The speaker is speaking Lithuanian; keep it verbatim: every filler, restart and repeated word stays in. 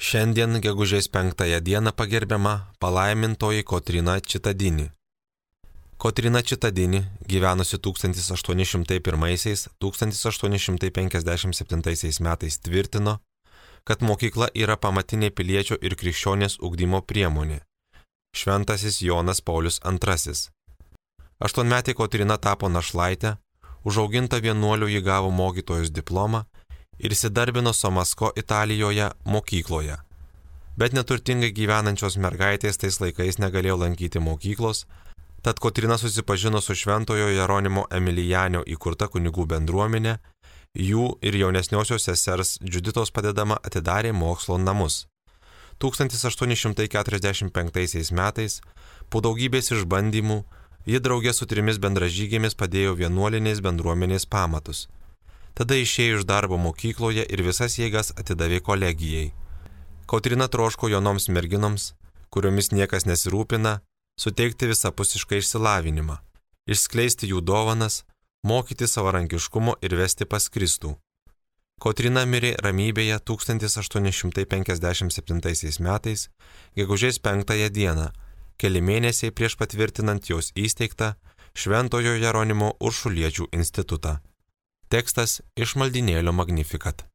Šiandien gegužės penktąją dieną pagerbiama palaimintoji Kotryna Čitadini. Kotryna Čitadini, gyvenusi tūkstantis aštuoni šimtai pirmaisiais - tūkstantis aštuoni šimtai penkiasdešimt septintaisiais metais tvirtino, kad mokykla yra pamatinė piliečio ir krikščionės ugdymo priemonė. Šventasis Jonas Paulius antrasis. Aštuonmetė Kotryna tapo našlaitė, užauginta vienuoliu ji gavo mokytojos diplomą ir įsidarbino Somasko Italijoje mokykloje. Bet neturtingai gyvenančios mergaitės tais laikais negalėjo lankyti mokyklos, tad Kotryna susipažino su šventojo Jeronimo Emilijanio įkurta kunigų bendruomenė, jų ir jaunesniosios sesers Džuditos padedama atidarė mokslo namus. tūkstantis aštuoni šimtai keturiasdešimt penktaisiais metais, po daugybės išbandymų, ji draugė su trimis bendražygėmis padėjo vienuolinės bendruomenės pamatus. Tada išėjo iš darbo mokykloje ir visas jėgas atidavė kolegijai. Kotryna troško jaunoms merginoms, kuriomis niekas nesirūpina, suteikti visapusišką išsilavinimą, išskleisti jų dovanas, mokyti savarankiškumo ir vesti pas Kristų. Kotryna mirė ramybėje tūkstantis aštuoni šimtai penkiasdešimt septintaisiais metais, gegužės penktąją dieną, keli mėnesiai prieš patvirtinant jos įsteigtą Šventojo Jeronimo Uršuliečių institutą. Tekstas iš maldynėlio Magnificat.